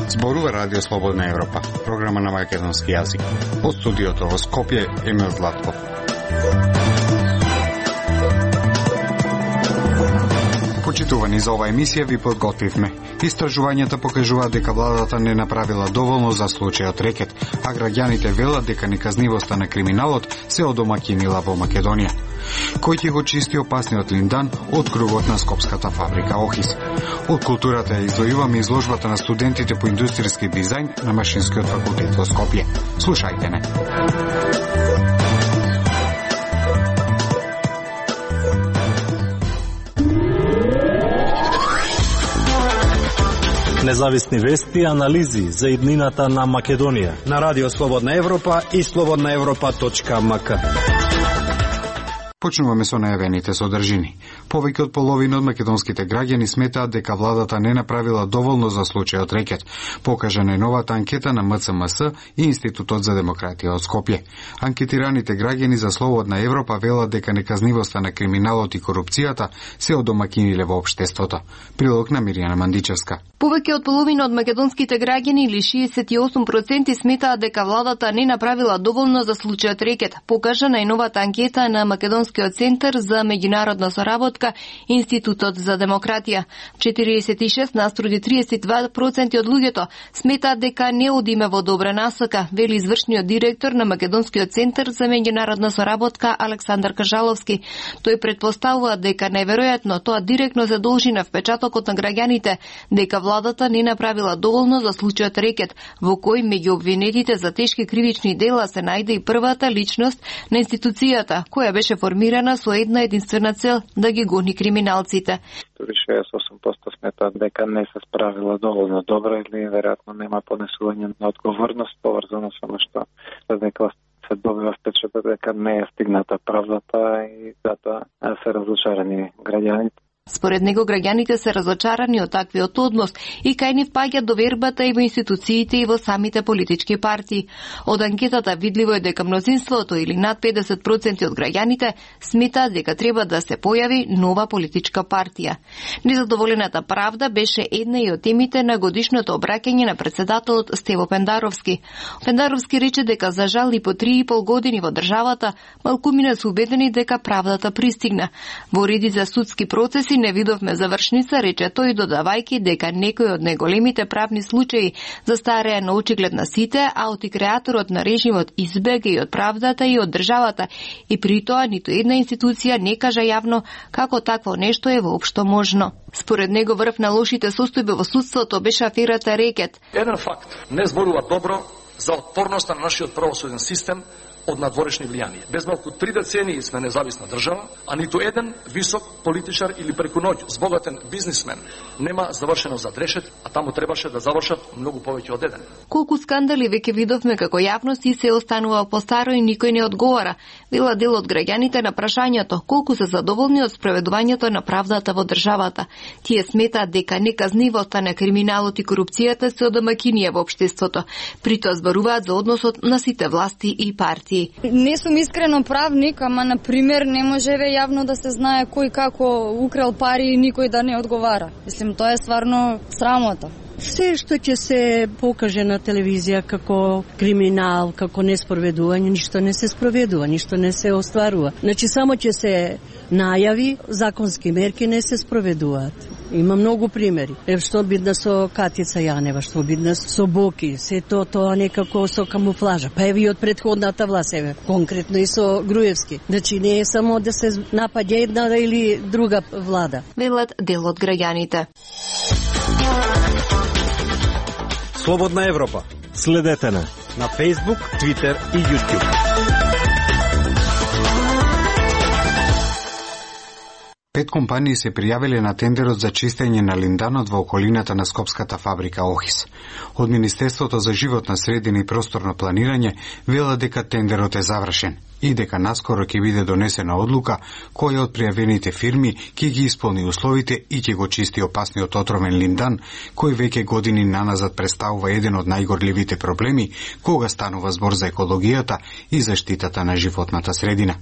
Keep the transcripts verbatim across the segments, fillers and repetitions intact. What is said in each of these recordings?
Зборува Радио Слободна Европа, програма на македонски јазик. Од студиото во Скопје, Емил Златков. Почитувани, за оваа емисија ви подготвивме. Истражувањата покажуваат дека владата не направила доволно за случајот рекет, а граѓаните велат дека неказнивоста на криминалот се одомаќинила во Македонија. Кој ќе го чисти опасниот линдан од кругот на скопската фабрика Охис? Од културата ја издвојуваме изложбата на студентите по индустријски дизајн на Машинскиот факултет во Скопје. Слушајте не. Независни вести и анализи за иднината на Македонија на Радио Слободна Европа и слободна европа точка ем ка. Почнуваме со најавените содржини. Повеќе од половина од македонските граѓани сметаат дека владата не направила доволно за случајот рекет, покажа најновата анкета на М Ц М С и Институтот за демократија од Скопје. Анкетираните граѓани за Слободна Европа велат дека неказнивоста на криминалот и корупцијата се одомаќиниле во општеството. Прилог на Мирјана Мандичевска. Повеќе од половина од македонските граѓани или шеесет и осум проценти сметаат дека владата не направила доволно за случајот рекет, покажа најновата анкета на Македонскиот центар за меѓународна соработка Институтот за демократија. четириесет и шест наспроти триесет и два проценти од луѓето сметаат дека не одиме во добра насока, вели извршниот директор на Македонскиот центар за меѓународна соработка Александар Кажаловски. Тој претпоставува дека најверојатно тоа директно се должи на впечатокот на граѓаните дека владата не направила доволно за случајот рекет, во кој меѓу обвинетите за тешки кривични дела се најде и првата личност на институцијата, која беше формирана со една единствена цел да ги гони криминалците. шеесет и осум проценти сметаат дека не се справила доволно добро или веројатно нема понесување на одговорност поврзано со нешто дека се добива впечаток дека не е стигната правдата и затоа се разочарани граѓаните. Според него, граѓаните се разочарани од таквиот однос и кај нив паѓа довербата и во институциите и во самите политички партии. Од анкетата видливо е дека мнозинството или над педесет проценти од граѓаните сметаат дека треба да се појави нова политичка партија. Незадоволената правда беше една и од темите на годишното обраќање на председателот Стево Пендаровски. Пендаровски рече дека за жал и по три и пол години во државата малкумина се убедени дека правдата пристигна. Во редица судски процеси не видовме завршница, рече тој, додавајќи дека некои од најголемите правни случаи застареа на очиглед на сите, а оти креаторот на режимот избега и од правдата и од државата, и при тоа ниту една институција не кажа јавно како такво нешто е воопшто можно. Според него врв на лошите состојби во судството беше аферата рекет. Еден факт не зборува добро за отпорноста на нашиот правосуден систем од надворешни влијанија. Без малку три децении сме независна држава, а ниту еден висок политичар или преку ноќ збогатен бизнисмен нема завршено за дрешет, а таму требаше да завршат многу повеќе од еден. Колку скандали веќе видовме како јавност и се останува по старо и никој не одговара. Вела дел од граѓаните на прашањето колку се задоволни од спроведувањето на правдата во државата. Тие сметаат дека неказнивоста на криминалот и корупцијата се одомаќинија во општеството. При тоа зборуваат за односот на сите власти и партии. Не сум искрено правник, ама на пример не можеве јавно да се знае кој како украл пари и никој да не одговара. Мислим, тоа е стварно срамота. Се што ќе се покаже на телевизија како криминал, како неспроведување, ништо не се спроведува, ништо не се остварува. Значи само ќе се најави, законски мерки не се спроведуваат. Има многу примери. Е, што бидна со Катица Јанева, што бидна со Боки, се то тоа некако со камуфлажа. Па еви од претходната власт, еве, конкретно и со Груевски. Значи не е само да се напаѓа една или друга влада. Велат дел од граѓаните. Слободна Европа. Следете на на Facebook, Twitter и YouTube. Пет компании се пријавиле на тендерот за чистење на линданот во околината на скопската фабрика Охис. Од Министерството за животна средина и просторно планирање вела дека тендерот е завршен и дека наскоро ќе биде донесена одлука која од пријавените фирми ќе ги исполни условите и ќе го чисти опасниот отровен линдан, кој веќе години наназад представува еден од најгорливите проблеми кога станува збор за екологијата и заштитата на животната средина.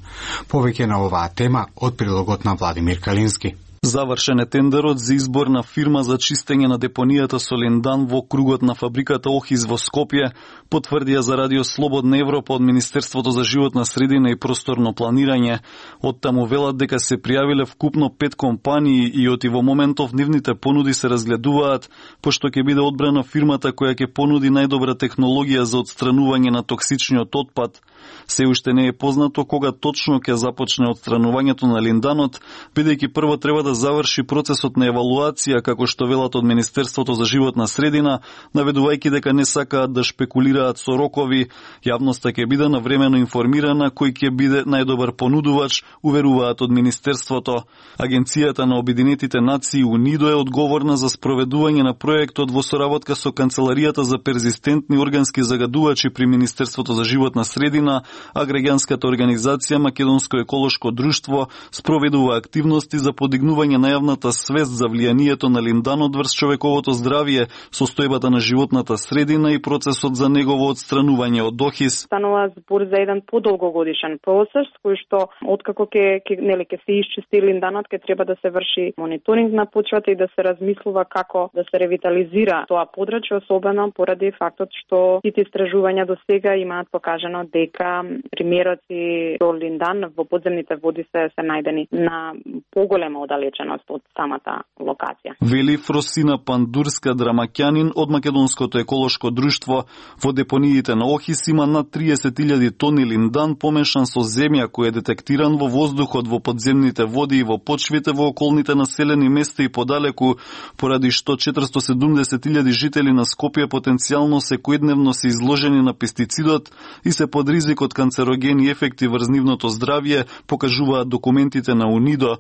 Повеќе на оваа тема од прилогот на Владимир Калински. Завршен е тендерот за избор на фирма за чистење на депонијата со линдан во кругот на фабриката Охис во Скопје, потврдија за Радио Слободна Европа од Министерството за животна средина и просторно планирање. Од таму велат дека се пријавиле вкупно пет компании и оти во моментов нивните понуди се разгледуваат, пошто ќе биде одбрана фирмата која ќе понуди најдобра технологија за отстранување на токсичниот отпад. Се уште не е познато кога точно ќе започне отстранувањето на линданот, бидејќи прво треба да заврши процесот на евалуација, како што велат од Министерството за животна средина, наведувајќи дека не сакаат да шпекулираат со рокови. Јавноста ќе биде навремено информирана кој ќе биде најдобар понудувач, уверуваат од Министерството. Агенцијата на Обединетите нации УНИДО е одговорна за спроведување на проектот во соработка со Канцеларијата за перзистентни органски загадувачи при Министерството за животна средина, а граѓанската организација Македонско еколошко друштво спроведува активности за подигнување на јавната свест за влијанието на линданот врз човековото здравје, состојбата на животната средина и процесот за негово отстранување од Охис. Станува збор за еден подолгогодишен процес кој што откако ќе ќе нели ќе се исчисти линданот, ќе треба да се врши мониторинг на почвата и да се размислува како да се ревитализира тоа подрачје, особено поради фактот што сите истражувања до сега имаат покажано дека примероци до линдан во подземните води се се најдени на поголема оддалеченост од самата локација. Вели Фросина Пандурска Драмаќанин од Македонското еколошко друштво. Во депониите на Охис има над триесет илјади тони линдан помешан со земја кој е детектиран во воздухот, во подземните води и во почвите во околните населени места и подалеку, поради што четиристо и седумдесет илјади жители на Скопје потенцијално секојдневно се изложени на пестицидот и се под ризик од канцерогени ефекти врз нивното здравје, покажуваат документите на УНИДО.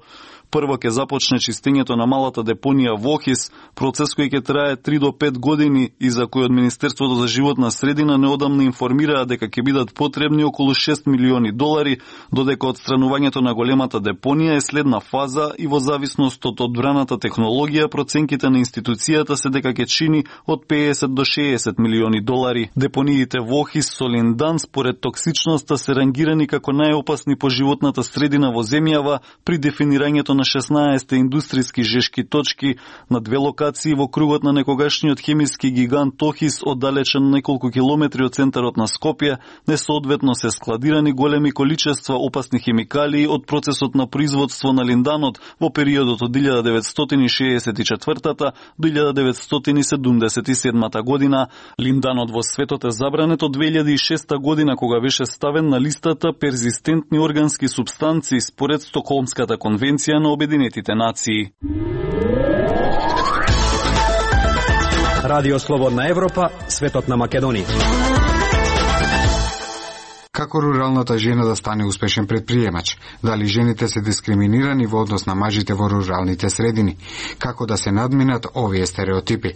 Прво ќе започне чистењето на малата депонија во Охис, процес кој ќе трае три до пет години и за кој од Министерството за животна средина неодамна информираа дека ќе бидат потребни околу шест милиони долари, додека отстранувањето на големата депонија е следна фаза и во зависност од одбраната технологија проценките на институцијата се дека ќе чини од педесет до шеесет милиони долари. Депониите во Охис со линдан според токсичноста се рангирани како најопасни по животната средина во земјава при дефинирањето на шеснаесет индустријски жешки точки на две локации во кругот на некогашниот хемиски гигант Охис, оддалечен неколку километри од центарот на Скопје, несоодветно се складирани големи количества опасни хемикалии од процесот на производство на линданот во периодот од илјада деветстотини шеесет и четвртата до илјада деветстотини седумдесет и седмата година. Линданот во светот е забранет од две илјади и шеста година, кога беше ставен на листата перзистентни органски супстанции според Стокхолмската конвенција на Обединетите нации. Радио Слободна Европа, светот на Македонија. Како руралната жена да стане успешен предприемач? Дали жените се дискриминирани во однос на мажите во руралните средини? Како да се надминат овие стереотипи?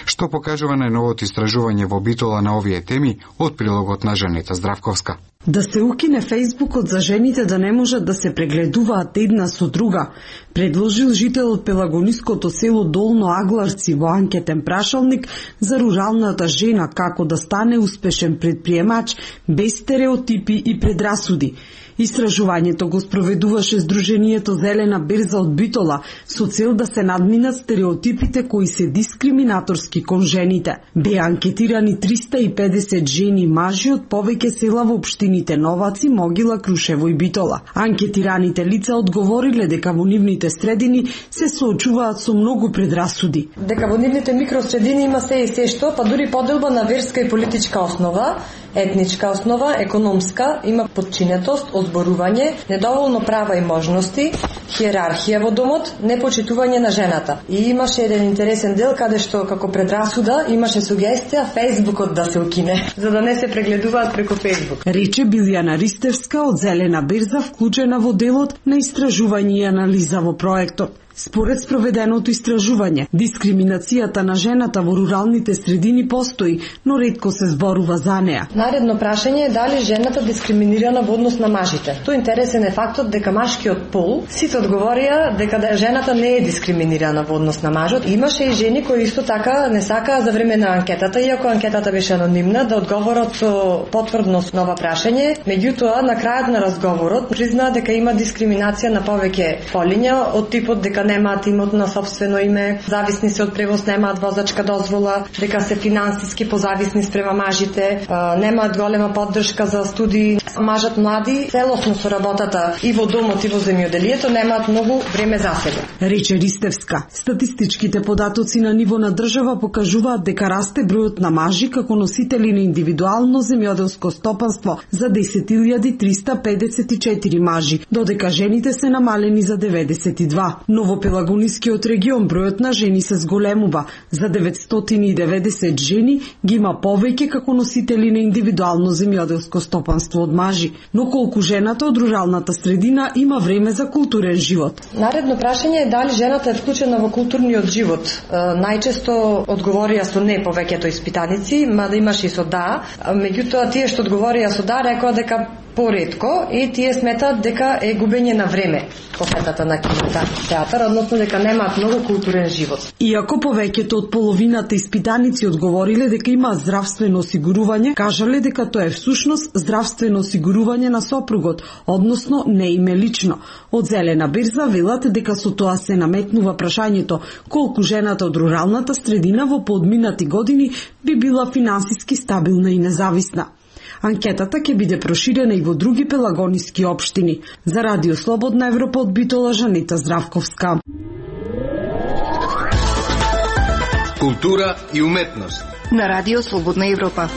Што покажува најновото истражување во Битола на овие теми од прилогот на Жанета Здравковска? Да се укине Фејсбукот за жените да не можат да се прегледуваат една со друга, предложил жител од пелагониското село Долно Агларци во анкетен прашалник за руралната жена како да стане успешен предприемач без стереотипи и предрасуди. Истражувањето го спроведуваше Сдруженијето Зелена берза од Битола со цел да се надминат стереотипите кои се дискриминаторски кон жените. Беа анкетирани триста и педесет жени и мажи од повеќе села во општините Новаци, Могила, Крушево и Битола. Анкетираните лица одговориле дека во нивните средини се соочуваат со многу предрасуди. Дека во нивните микросредини има се и се што, па дури поделба на верска и политичка основа, етничка основа, економска, има подчинетост, озборување, недоволно права и можности, хиерархија во домот, непочитување на жената. И имаше еден интересен дел каде што како предрасуда имаше сугестија Фејсбукот да се укине, за да не се прегледуваат преку Фејсбук. Рече Билјана Ристевска од Зелена берза, вклучена во делот на истражување и анализа во проектот. Според спроведеното истражување, дискриминацијата на жената во руралните средини постои, но ретко се зборува за неа. Наредно прашање е дали жената дискриминирана во однос на мажите. Тој интересен е фактот дека машкиот пол сите одговорија дека жената не е дискриминирана во однос на мажот. Имаше и жени кои исто така не сакаа за време на анкетата, иако анкетата беше анонимна, да одговорат со потврдност на ова прашање. Меѓутоа, на крајот на разговорот признаа дека има дискриминација на повеќе полиња од типот дека немаат имот на сопствено име, зависни се од превоз, немаат возачка дозвола, дека се финансиски позависни спрема мажите, немаат голема поддршка за студии. Мажот млади, целосно со работата и во домот и во земјоделието, немаат многу време за себе. Рече Ристевска. Статистичките податоци на ниво на држава покажуваат дека расте бројот на мажи како носители на индивидуално земјоделско стопанство за десет илјади триста педесет и четири мажи, додека жените се намалени за деветдесет и два. Но во Пелагонискиот регион бројот на жени се зголемува. За деветстотини и деветдесет жени ги има повеќе како носители на индивидуално земјоделско стопанство од мажи. Но колку жената од руралната средина има време за културен живот? Наредно прашање е дали жената е вклучена во културниот живот. Најчесто одговорија со не повеќето испитаници, мада имаше и со да. Меѓутоа, тие што одговорија со да рекоа дека поретко и тие сметаат дека е губење на време посетата на кинотеатар, односно дека немаат многу културен живот. Иако повеќето од половината испитаници одговориле дека има здравствено осигурување, кажале дека тоа е всушност здравствено осигурување на сопругот, односно не име лично. Од Зелена берза велат дека со тоа се наметнува прашањето колку жената од руралната средина во подминати години би била финансиски стабилна и независна. Анкетата ќе биде проширена и во други пелагониски општини. За Радио Слободна Европа од Битола, Жанета Здравковска. Култура и уметност на Радио Слободна Европа.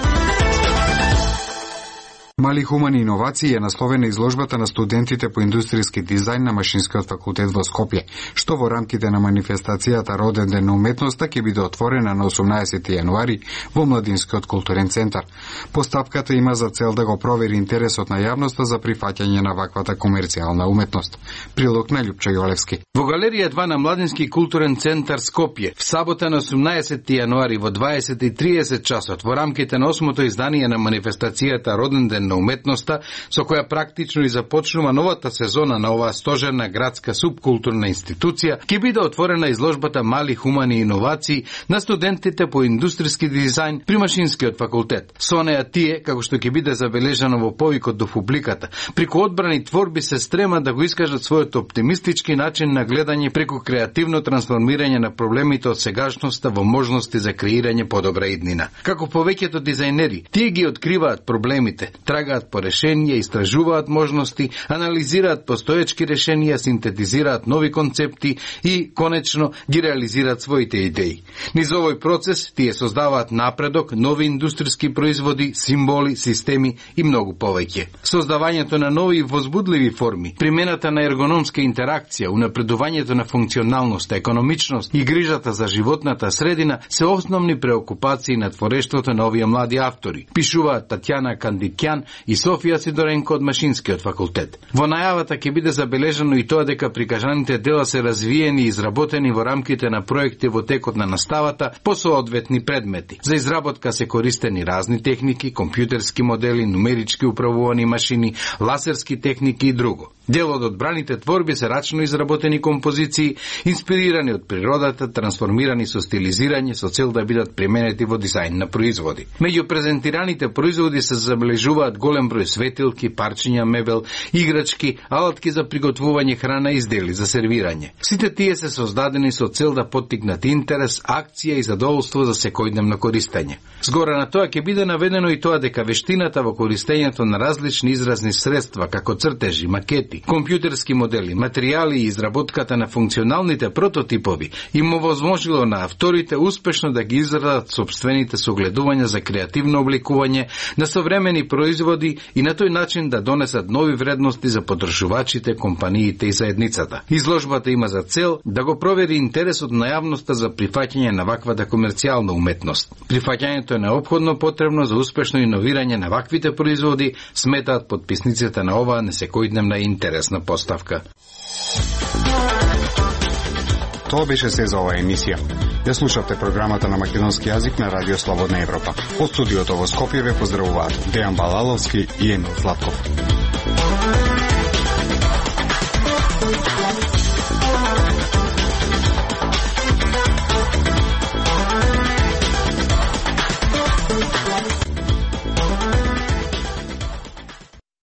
Мали хумани иновации е насловена изложбата на студентите по индустријски дизајн на Машинскиот факултет во Скопје, што во рамките на манифестацијата Роден ден на уметноста ќе биде отворена на осумнаесети јануари во Младинскиот културен центар. Постапката има за цел да го провери интересот на јавноста за прифаќање на ваквата комерцијална уметност. Прилог на Љупчо Јолевски. Во галерија два на Младински културен центар Скопје, в сабота на осумнаесети јануари во дваесет и тридесет часот во рамките на осмото издание на манифестацијата Роден ден на уметноста, со која практично и започнува новата сезона на оваа стожерна градска субкултурна институција, ќе биде отворена изложбата Мали хумани иновации на студентите по индустријски дизајн при Машинскиот факултет. Со неа тие, како што ќе биде забележано во повикот до публиката, преку одбрани творби се стремат да го искажат својот оптимистички начин на гледање преку креативно трансформирање на проблемите од сегашноста во можности за креирање подобра иднина. Како повеќето дизајнери, тие ги откриваат проблемите, трагаат по решенија, истражуваат можности, анализираат постоечки решенија, синтетизираат нови концепти и, конечно, ги реализираат своите идеи. Низ овој процес тие создаваат напредок, нови индустријски производи, символи, системи и многу повеќе. Создавањето на нови и возбудливи форми, примената на ергономска интеракција, унапредувањето на функционалност, економичност и грижата за животната средина се основни преокупации на творештвото на овие млади автори, пишуваат Татјана Кандикјан и Софија Сидоренко од Машинскиот факултет. Во најавата ќе биде забележано и тоа дека прикажаните дела се развиени и изработени во рамките на проекти во текот на наставата по соодветни предмети. За изработка се користени разни техники, компјутерски модели, нумерички управувани машини, ласерски техники и друго. Дел од одбраните творби се рачно изработени композиции, инспирирани од природата, трансформирани со стилизирање со цел да бидат применети во дизајн на производи. Меѓу презентираните производи се забележуваат голем број светилки, парчиња мебел, играчки, алатки за приготвување храна и издели за сервирање. Сите тие се создадени со цел да поттикнат интерес, акција и задоволство за секојдневно користење. Згора на тоа ќе биде наведено и тоа дека вештината во користењето на различни изразни средства, како цртежи, макети, компјутерски модели, материјали и изработката на функционалните прототипови им овозможило на авторите успешно да ги израдат собствените согледувања за креативно обликување на современи производи и на тој начин да донесат нови вредности за потршувачите, компаниите и заедницата. Изложбата има за цел да го провери интересот на јавноста за прифаќање на ваквата комерцијална уметност. Прифаќањето е неопходно потребно за успешно иновирање на ваквите производи, сметаат потписниците на оваа несекојдневна и интересна поставка. Тоа беше се за оваа емисија. Ја слушавте програмата на македонски јазик на Радио Слободна Европа. Од студиото во Скопје ве поздравуваат Дејан Балаловски и Емил Златков.